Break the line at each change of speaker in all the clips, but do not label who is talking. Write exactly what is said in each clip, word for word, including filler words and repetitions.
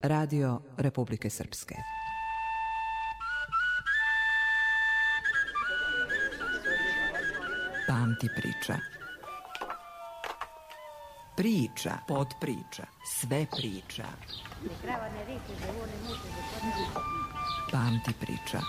Radio Republike Srpske. Pamti priča. Priča, podpriča, sve priča. Pamti priča.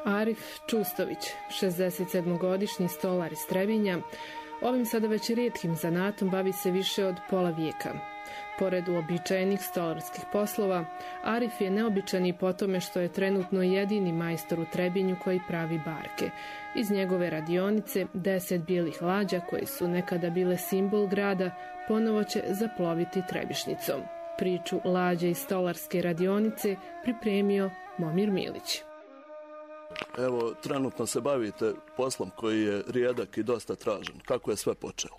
Arif Čustović, šezdesetsedmogodišnji stolar iz Trebinja, ovim sada već rijetkim zanatom bavi se više od pola vijeka. Pored uobičajenih stolarskih poslova, Arif je neobičan i po tome što je trenutno jedini majstor u Trebinju koji pravi barke. Iz njegove radionice deset bijelih lađa, koje su nekada bile simbol grada, ponovo će zaploviti Trebišnicom. Priču lađe iz stolarske radionice pripremio Momir Milić.
Evo, trenutno se bavite poslom koji je rijedak i dosta tražen. Kako je sve počelo?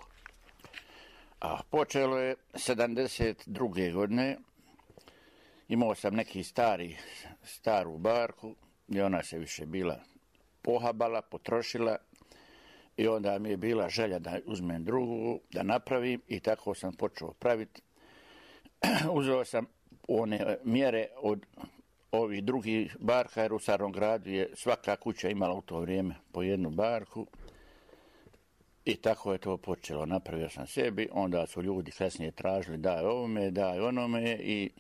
A, počelo je sedamdeset druge godine. Imao sam neki stari, staru barku i ona se više bila pohabala, potrošila i onda mi je bila želja da uzmem drugu, da napravim i tako sam počeo praviti. Uzeo sam one mjere od ovih drugih barka, jer u Starom gradu je svaka kuća imala u to vrijeme po jednu barku i tako je to počelo. Napravio sam sebi, onda su ljudi kasnije tražili daj ovome, daj onome i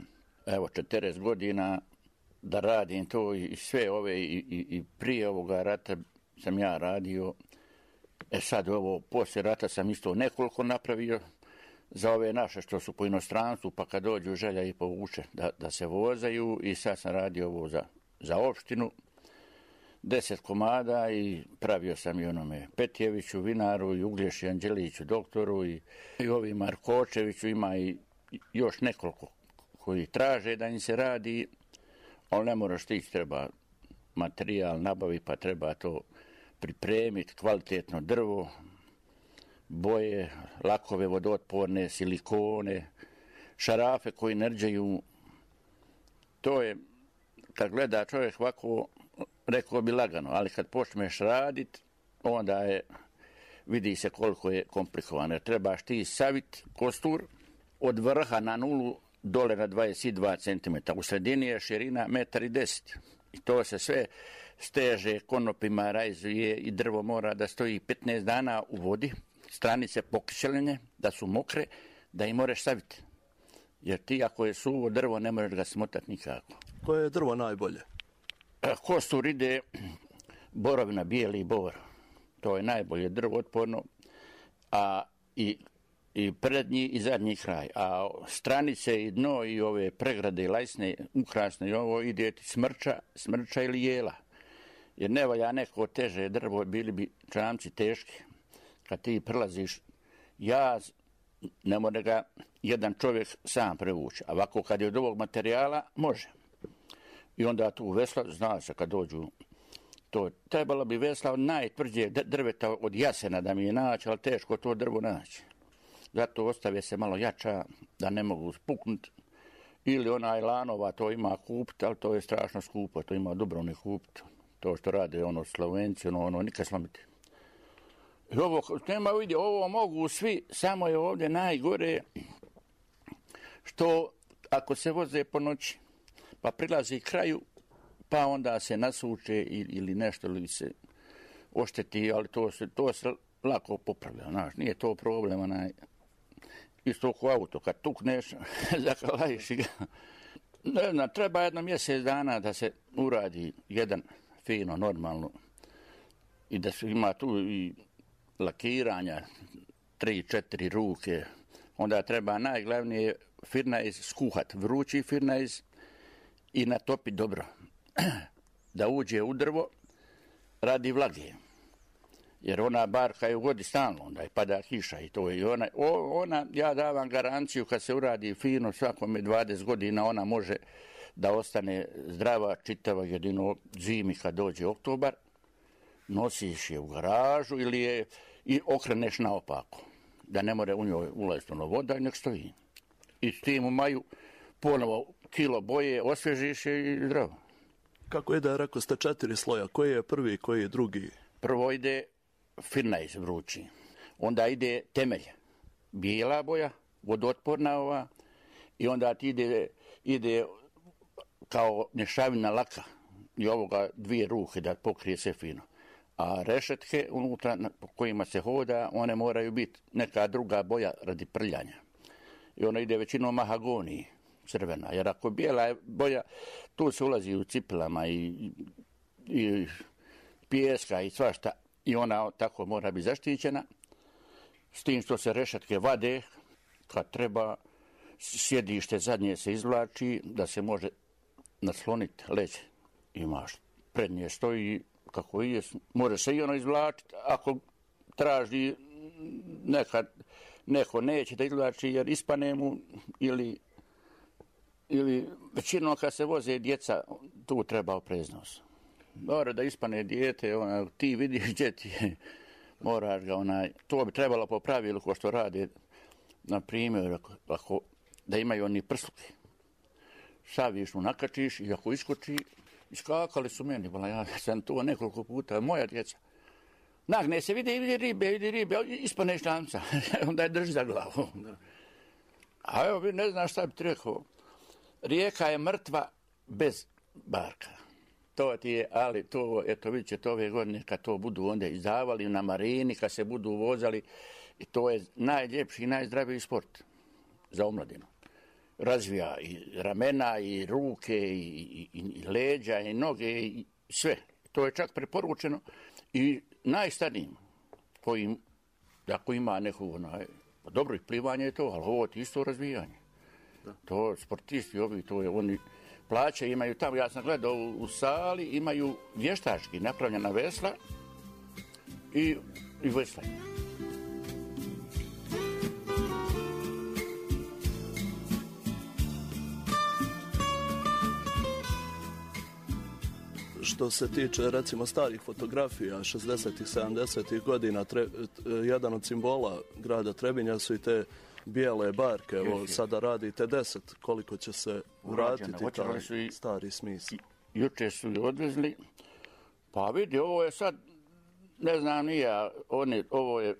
evo četrdeset godina da radim to i sve ove i, i, i prije ovoga rata sam ja radio. E sad ovo, poslije rata sam isto nekoliko napravio za ove naše što su po inostranstvu, pa kad dođu želja i povuče da, da se vozaju i sad sam radio ovo za, za opštinu, deset komada i pravio sam i onome Petjeviću, vinaru i Uglješi Anđeliću, doktoru i, i ovi Markočeviću, ima i još nekoliko koji traže da im se radi, ali ne moraš tići, treba materijal nabavi, pa treba to pripremiti, kvalitetno drvo, boje, lakove vodootporne, silikone, šarafe koji ne rđaju. To je, kad gleda čovjek ovako, rekao bi lagano, ali kad počneš raditi, onda je, vidi se koliko je komplikovano. Trebaš ti savit kostur od vrha na nulu dole na dvadeset dva centimetra. U sredini je širina metar i deset. I to se sve steže konopima, rajzuje i drvo mora da stoji petnaest dana u vodi, stranice pokiseljene, da su mokre, da im moraš saviti. Jer ti ako je suvo drvo ne možeš ga smotati nikako.
Koje je drvo najbolje?
Kostur ide borovina, bijeli bor. To je najbolje drvo otporno, a i, i prednji i zadnji kraj. A stranice i dno i ove pregrade lajsne, ukrasne i ovo ide ti smrča, smrča ili jela. Jer ne valja neko teže drvo, bili bi čamci teški. Kad ti prelaziš jaz, ne može ga jedan čovjek sam prevući. A ovako kad je od ovog materijala, može. I onda tu vesla, zna se kad dođu, to trebalo bi vesla od najtvrđeg drveta od jasena da mi je naći, ali teško to drvo naći. Zato ostave se malo jača, da ne mogu spuknuti. Ili onaj lanova, to ima kupiti, ali to je strašno skupo, to ima Dubrovnik kupiti. To što rade ono Slovenci, ono, ono nikad slomiti. I ovo, nema vidi, ovo mogu svi, samo je ovdje najgore što ako se voze po noći, pa prilazi kraju, pa onda se nasuče ili nešto ili se ošteti, ali to se, to se lako popravlja, znaš, nije to problem, onaj, isto oko auto, kad tukneš, zakalajiš ga. Ne znam, treba jedno mjesec dana da se uradi jedan fino, normalno, i da se ima tu i lakiranja, tri, četiri ruke, onda treba najglavnije firnajz skuhat, vrući firnajz i natopiti dobro. Da uđe u drvo radi vlage. Jer ona barka je u vodi stalno, onda je pada kiša i to je. Ona, ona, ja davam garanciju kad se uradi fino svakome dvadeset godina, ona može da ostane zdrava, čitava, jedino zimi kad dođe oktobar, nosiš je u garažu ili je i okreneš naopako, da ne more u njoj ulaziti ono voda i nek stoji. I s tim u maju ponovo kilo boje, osvježiš je i zdravo.
Kako ide, rekao ste četiri sloja, koji je prvi, koji je drugi?
Prvo ide firnajz vrući, onda ide temelj, bijela boja, vodootporna ova, i onda ti ide, ide kao mješavina laka i ovoga dvije ruke da pokrije sve fino. A rešetke unutra po kojima se hoda, one moraju biti neka druga boja radi prljanja. I ona ide većinom mahagoniji, crvena. Jer ako bijela je boja, tu se ulazi u cipelama i, i pijeska i svašta. I ona tako mora biti zaštićena. S tim što se rešetke vade, kad treba, sjedište zadnje se izvlači, da se može nasloniti leđe. Imaš prednje stoji kako je, može se i ono izvlačiti. Ako traži nekad, neko neće da izvlači jer ispane mu ili, ili većinom kad se voze djeca, tu treba opreznost. Mora da ispane dijete, ona, ti vidiš gdje ti je, moraš ga onaj, to bi trebalo po pravilu ko što rade, na primjer, ako, da imaju oni prsluke. Saviš mu nakačiš i ako iskoči, iskakali su meni, bila, ja sam to nekoliko puta, moja djeca. Nagne se, vidi, vidi ribe, vidi ribe, ispane štanca, onda je drži za glavu. A evo, ne znam šta bi ti rekao, rijeka je mrtva bez barka. To ti je, ali to, eto vidjet ćete ove godine kad to budu onda izdavali na marini, kad se budu vozali, i to je najljepši i najzdraviji sport za omladinu. Razvija i ramena, i ruke, i, i, i leđa, i noge, i sve. To je čak preporučeno i najstarijim kojim, ako ima neku, onaj, dobro i plivanje je to, ali ovo je isto razvijanje. Da. To sportisti ovi, to je oni plaće imaju tamo, ja sam gledao u, u sali, imaju vještački napravljena vesla i, i veslanje.
Što se tiče, recimo, starih fotografija šezdesetih, sedamdesetih godina, tre, jedan od simbola grada Trebinja su i te bijele barke. Evo, sada radite deset. Koliko će se uraditi taj su i, stari smisao?
Juče su i odvezli. Pa vidi, ovo je sad, ne znam nija, on je, ovo je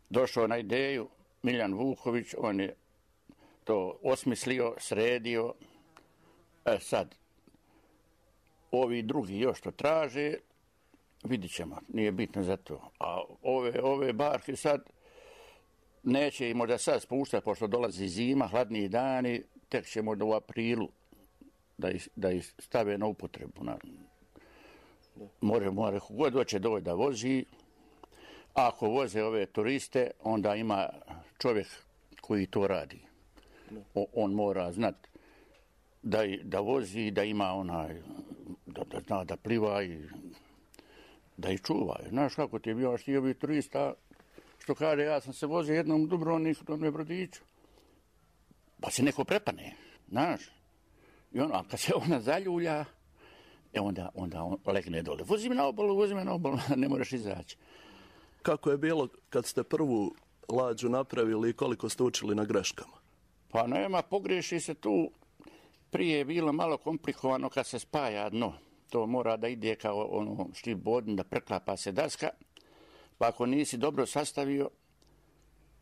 došao na ideju Miljan Vuković, on je to osmislio, sredio. E sad, ovi drugi još to traže, vidit ćemo, nije bitno za to. A ove, ove barke sad neće i možda sad spuštati, pošto dolazi zima, hladniji dani, tek će možda u aprilu da ih, da ih stave na upotrebu. Na, more, more, god hoće doći da vozi. A ako voze ove turiste, onda ima čovjek koji to radi. O, on mora znati da, da vozi, da ima onaj, da, da zna da pliva i da ih čuva. Znaš kako ti je bio štio bi turista, što kaže, ja sam se vozio jednom u Dubrovniku, jednom Brodiću, pa se neko prepane, znaš. I ono, a kad se ona zaljulja, e onda, onda on legne dole. Vozi me na obalu, vozi me na obalu, ne moraš izaći.
Kako je bilo kad ste prvu lađu napravili i koliko ste učili na greškama?
Pa nema, pogreši se tu. Prije je bilo malo komplikovano kad se spaja dno. To mora da ide kao ono štip bodin, da preklapa se daska. Pa ako nisi dobro sastavio,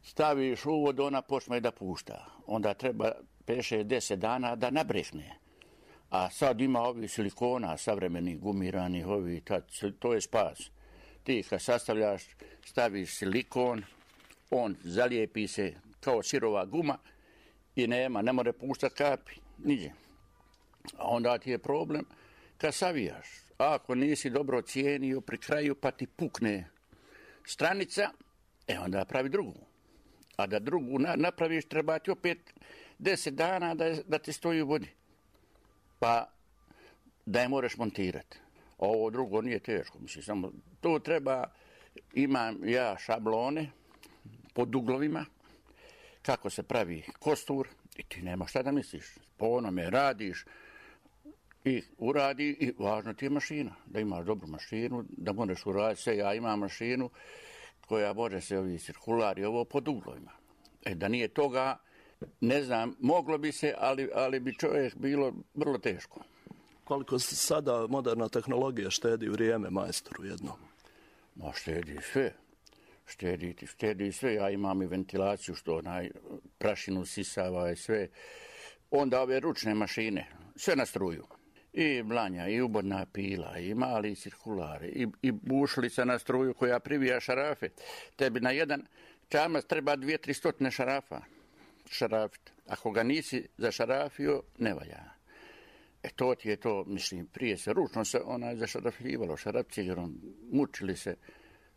staviš u vodu, ona počne da pušta. Onda treba pet šest deset dana da nabrehne. A sad ima ovi silikona, savremeni, gumiranih, ovi, tad, to je spas. Ti kad sastavljaš, staviš silikon, on zalijepi se kao sirova guma i nema, ne more puštati kapi, niđe. A onda ti je problem kad savijaš. A ako nisi dobro cijenio pri kraju pa ti pukne stranica, e onda pravi drugu. A da drugu na, napraviš, treba ti opet deset dana da, da ti stoji u vodi. Pa da je moraš montirati. Ovo drugo nije teško. Mislim, samo to treba, imam ja šablone pod uglovima, kako se pravi kostur i ti nema šta da misliš. Po onome radiš i uradi i važno ti je mašina. Da imaš dobru mašinu, da možeš uraditi sve. Ja imam mašinu koja može se ovi cirkulari ovo pod uglovima. E, da nije toga, ne znam, moglo bi se, ali, ali bi čovjek bilo vrlo teško.
Koliko sada moderna tehnologija štedi vrijeme majstoru jednom?
Ma štedi sve. Štedi, štedi sve. Ja imam i ventilaciju što onaj prašinu sisava i sve. Onda ove ručne mašine, sve na struju. I blanja, i ubodna pila, i mali cirkulari, i, i bušlica na struju koja privija šarafe. Tebi na jedan čamac treba dvije, tri stotine šarafa. Šarafit. Ako ga nisi zašarafio, ne valja. E to ti je to, mislim, prije se ručno se onaj zašarafljivalo, šarafcigerom, mučili se.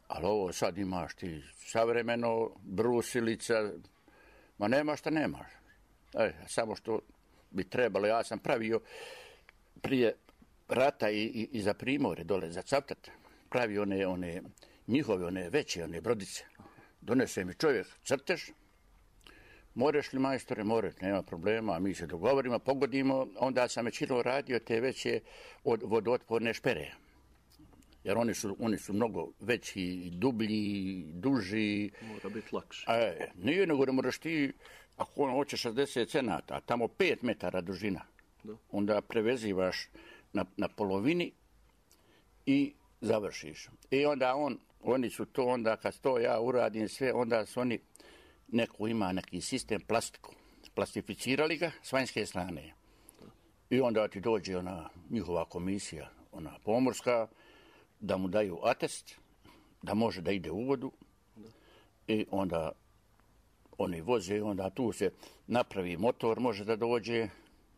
Ali ovo sad imaš ti savremeno, brusilica, ma nema šta nemaš. E, samo što bi trebalo, ja sam pravio prije rata i, i, i za Primorje dole, za Cavtat, pravi one, one njihove, one veće, one brodice. Donese mi čovjek crtež, moreš li majstore, moreš, nema problema, mi se dogovorimo, pogodimo, onda sam većinom radio te veće od vodootporne špere. Jer oni su, oni su mnogo veći, dublji, duži.
Mora biti lakše.
E, nije nego da moraš ti, ako on hoće šezdeset cenata, a tamo pet metara dužina, da. Onda prevezivaš na, na polovini i završiš. I onda on, oni su to, onda kad to ja uradim sve, onda su oni, neko ima neki sistem plastiku. Plastificirali ga s vanjske strane. I onda ti dođe ona njihova komisija, ona pomorska, da mu daju atest, da može da ide u vodu. I onda oni voze, onda tu se napravi motor, može da dođe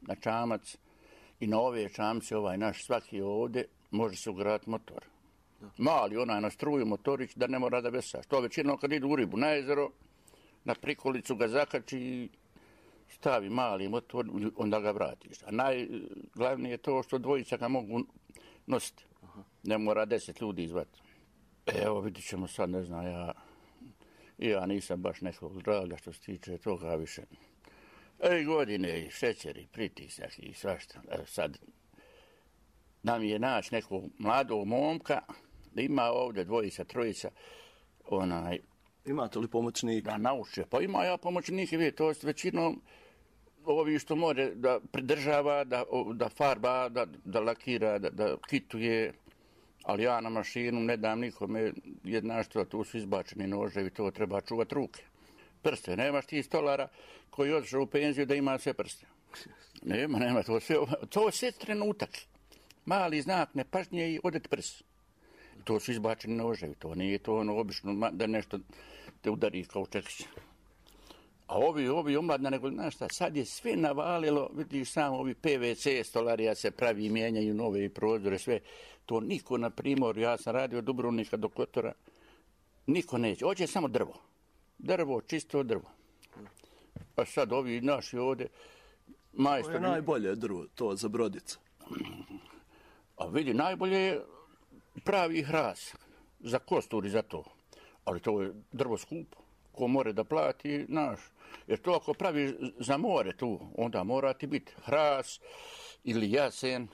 na čamac. I na ove čamce, ovaj naš svaki ovdje, može se ugraditi motor. Mali onaj na struju motorić da ne mora da vesaš. To većinom kad idu u ribu na jezero, na prikolicu ga zakači i stavi mali motor, onda ga vratiš. A najglavnije je to što dvojica ga mogu nositi. Ne mora deset ljudi izvati. Evo, vidit ćemo sad, ne znam, ja, ja nisam baš nekog draga što se tiče toga više. E, godine i šećer i pritisak i svašta. E, sad, nam je naći nekog mladog momka, da ima ovdje dvojica, trojica, onaj...
Imate li pomoćnika?
Da nauče. Pa ima ja pomoćnike, vidite, to je većinom ovi što more da pridržava, da, da farba, da, da lakira, da, da kituje, ali ja na mašinu ne dam nikome, jedna što tu su izbačeni noževi, to treba čuvati ruke. Prste, nemaš ti stolara koji odšao u penziju da ima sve prste. Nema, nema, to sve, to sve trenutak. Mali znak nepažnje i odet prst. To su izbačeni noževi, to nije to ono obično da nešto te udari kao čekić. A ovi, ovi omladna, nego, znaš šta, sad je sve navalilo, vidiš samo ovi P V C stolarija se pravi i mijenjaju nove prozore, sve. To niko na Primorju, ja sam radio od Dubrovnika do Kotora, niko neće. Hoće samo drvo. Drvo, čisto drvo. A sad ovi naši ovdje, majstori...
To je najbolje drvo, to za brodice.
A vidi, najbolje je pravi hras za kostur i za to. Ali to je drvo skupo. Ko more da plati, znaš. Jer to ako pravi za more tu, onda mora ti biti hras ili jasen.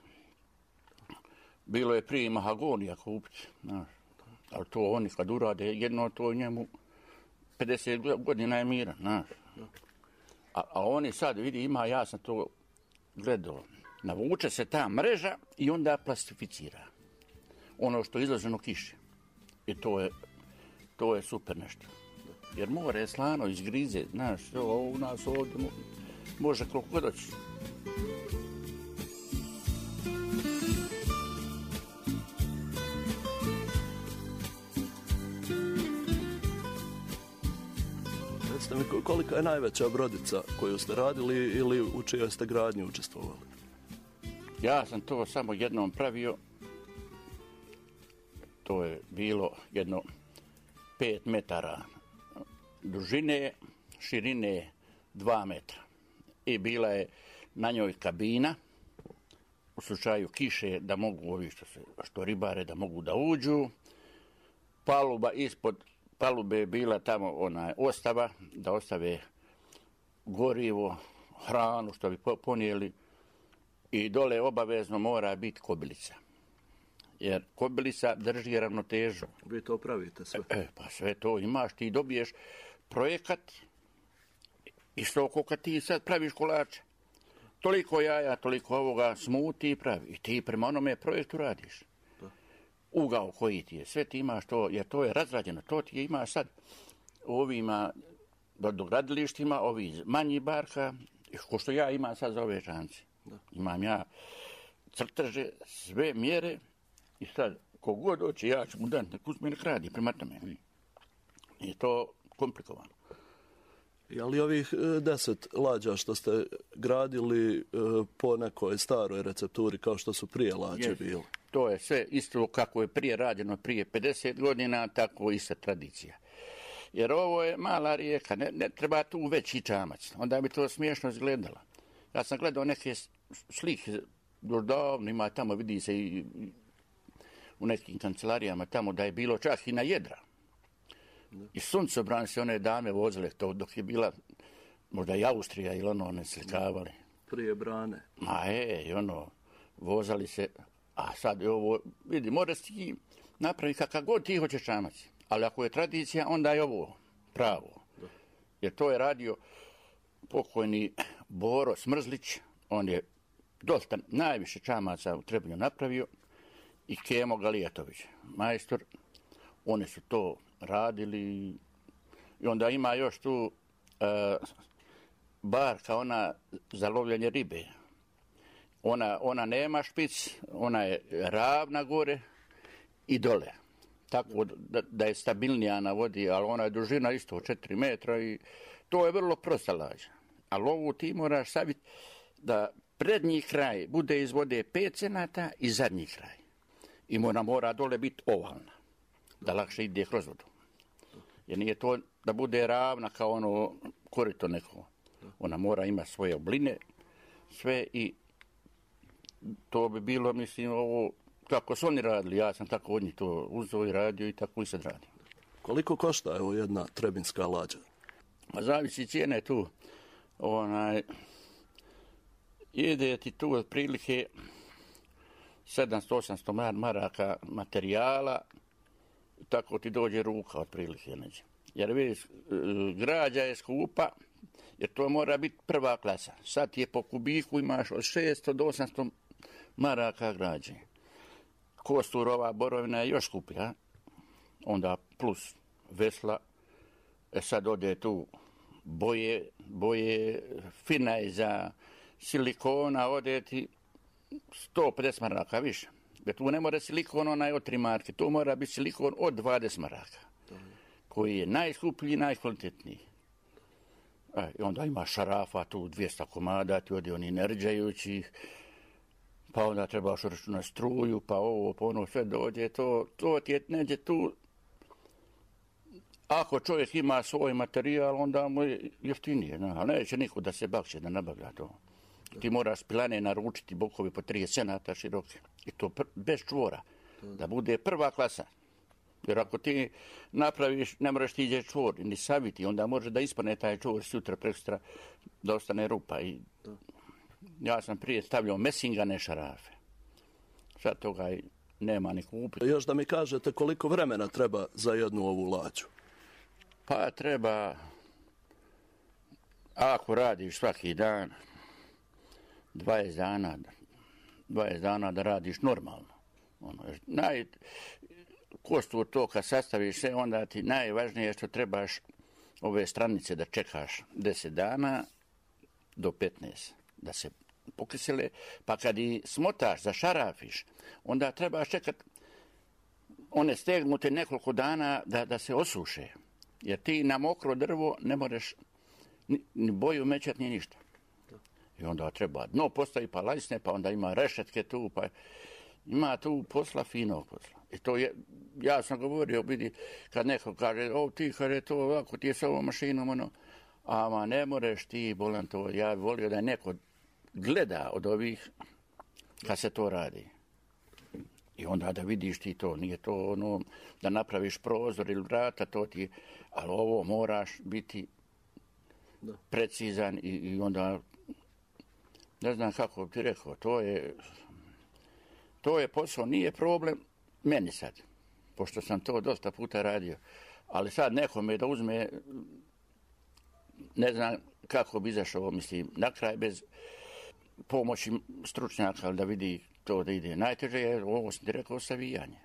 Bilo je prije mahagonija kupiti, znaš. Ali to oni kad urade jedno, to njemu pedeset godina je miran, znaš. A, a oni sad, vidi, ima, ja sam to gledao. Navuče se ta mreža i onda plastificira. Ono što je izloženo kiše. I to je, to je super nešto. Jer more je slano, izgrize, znaš, ovo u nas ovdje može koliko god doći.
Recite mi, kolika je najveća brodica koju ste radili ili u čijoj ste gradnji učestvovali?
Ja sam to samo jednom pravio. To je bilo jedno pet metara dužine širine dva metra. I bila je na njoj kabina, u slučaju kiše da mogu ovi što, se, što ribare da mogu da uđu. Paluba ispod palube je bila tamo ona ostava, da ostave gorivo, hranu što bi ponijeli i dole obavezno mora biti kobilica. Jer kobilica drži ravnotežu.
Vi to pravite sve?
E, pa sve to imaš, ti dobiješ projekat i što kad ti sad praviš kolače. Toliko jaja, toliko ovoga, smuti i pravi. I ti prema onome projektu radiš. Ugao koji ti je, sve ti imaš to, jer to je razrađeno. To ti je imaš sad u ovima brodogradilištima, ovi manji barka, ko što ja imam sad za ove čamce. Imam ja crteže, sve mjere i sad kogod doći, ja ću mu dati, nek uzme nek radi prema tome. Je to komplikovano.
Je li ovih deset lađa što ste gradili po nekoj staroj recepturi kao što su prije lađe yes. bile?
To je sve isto kako je prije rađeno prije pedeset godina, tako i sa tradicija. Jer ovo je mala rijeka, ne, ne treba tu veći čamac, onda bi to smiješno izgledalo. Ja sam gledao neke slike, još davno ima tamo, vidi se i u nekim kancelarijama tamo da je bilo čak i na jedra. I suncobran se one dame vozile to dok je bila možda i Austrija ili ono ne slikavali.
Prije brane.
Ma je, i ono, vozali se, a sad je ovo, vidi, moraš ti napraviti kakav god ti hoćeš čamac. Ali ako je tradicija, onda je ovo pravo. Da. Jer to je radio pokojni Boro Smrzlić, on je dosta najviše čamaca u Trebinju napravio i Kemo Galijatović, majstor, oni su to radili i onda ima još tu e, barka, ona za lovljenje ribe. Ona, ona nema špic, ona je ravna gore i dole. Tako da, da je stabilnija na vodi, ali ona je dužina isto četiri metra i to je vrlo prosta lađa. Ali ovu ti moraš saviti da prednji kraj bude iz vode pet cenata i zadnji kraj. I mora, mora dole biti ovalna, da lakše ide kroz vodu. Jer nije to da bude ravna kao ono korito neko. Ona mora imati svoje obline, sve i to bi bilo, mislim, ovo kako su oni radili, ja sam tako od njih to uzeo i radio i tako i sad radim.
Koliko košta evo jedna trebinska lađa?
Ma zavisi cijene tu. Onaj, ide ti tu otprilike sedamsto osamsto maraka materijala, tako ti dođe ruka otprilike neđe. Jer vidiš, građa je skupa, jer to mora biti prva klasa. Sad ti je po kubiku imaš od šesto do osamsto maraka građe. Kosturova borovina je još skupija, onda plus vesla, e sad ode tu boje, boje finaj za silikona, ode ti sto pedeset maraka više. Jer tu ne mora silikon onaj od tri marke, tu mora biti silikon od dvadeset maraka, koji je najskuplji i najkvalitetniji. E, i onda ima šarafa tu dvjesto komada, ti ode oni nerđajućih, pa onda trebaš računati struju, pa ovo, pa ono, sve dođe, to, to ti je neđe tu. Ako čovjek ima svoj materijal, onda mu je jeftinije, no, ali neće niko da se bakće, da nabavlja to. Ti moraš pilane naručiti bokovi po trideset cenata široke. I to pr- bez čvora, da bude prva klasa. Jer ako ti napraviš, ne moraš ti iđe čvor, ni saviti, onda može da ispane taj čvor sutra prekstra, da ostane rupa. I ja sam prije stavljao mesingane šarafe. Sad toga nema ni kupiti.
Još da mi kažete koliko vremena treba za jednu ovu lađu?
Pa treba, ako radiš svaki dan, dvadeset dana, dvadeset dana da radiš normalno. Ono, naj, kostur to kad sastaviš sve, onda ti najvažnije je što trebaš ove stranice da čekaš deset dana do petnaest da se pokisele, pa kad i smotaš, zašarafiš, onda trebaš čekat one stegnute nekoliko dana da, da se osuše. Jer ti na mokro drvo ne možeš ni, ni boju mećat, ni ništa. I onda treba dno postavi pa lajsne, pa onda ima rešetke tu, pa ima tu posla, finog posla. I to je, ja sam govorio, vidi, kad neko kaže, o ti, kad je to ovako, ti je s ovom mašinom, ono, ama ne moreš ti, bolam to, ja bih volio da neko gleda od ovih kad se to radi. I onda da vidiš ti to, nije to ono da napraviš prozor ili vrata, to ti, ali ovo moraš biti da. precizan i, i onda, ne znam kako ti rekao, to je, to je posao, nije problem meni sad, pošto sam to dosta puta radio, ali sad nekome da uzme, ne znam kako bi izašao, mislim, na kraj bez pomoći stručnjaka da vidi to da ide. Najteže je, ovo sam ti rekao, savijanje.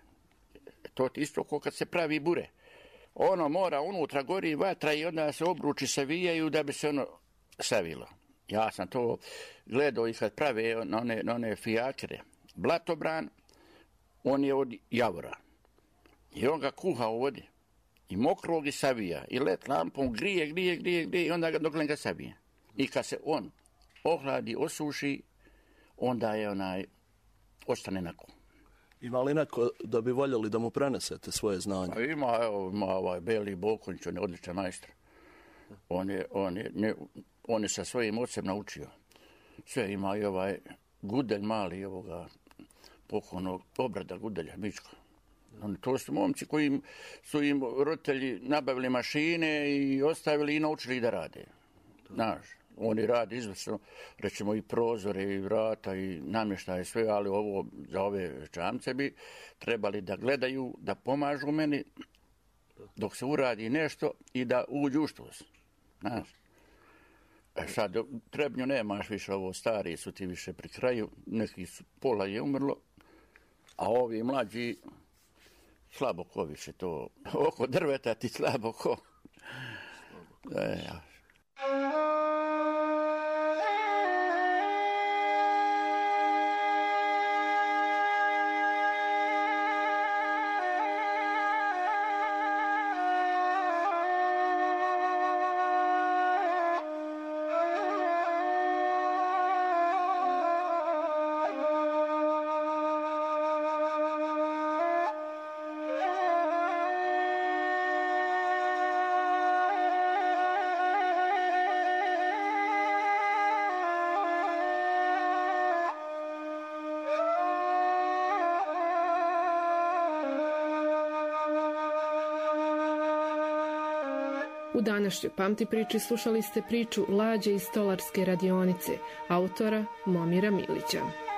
To ti isto kao kad se pravi bure. Ono mora unutra gori vatra i onda se obruči savijaju da bi se ono savilo. Ja sam to gledao i kad prave na one, na one fijakere. Blatobran, on je od javora. I on ga kuha u vodi. I mokrog i savija. I let lampom grije, grije, grije, grije i onda ga dok ga savije. I kad se on ohladi, osuši, onda je onaj, ostane nako.
Ima li neko da bi voljeli da mu prenesete svoje znanje?
A ima, evo, ima ovaj Beli Bokonjić, on je odličan majstor. On je, on je, ne, on je sa svojim ocem naučio. Sve ima i ovaj Gudelj mali, ovoga pokojnog Obrada Gudelja, Mička. On, to su momci koji su im roditelji nabavili mašine i ostavili i naučili da rade. Znaš, oni rade izvrsno, recimo i prozore i vrata i namještaje sve, ali ovo za ove čamce bi trebali da gledaju, da pomažu meni dok se uradi nešto i da uđu u štos. Znaš. E sad, Trebnju nemaš više, ovo stari su ti više pri kraju, neki su, pola je umrlo, a ovi mlađi slabo ko više to, oko drveta ti slabo ko. E, ja.
U današnjoj Pamti priči slušali ste priču Lađe iz stolarske radionice, autora Momira Milića.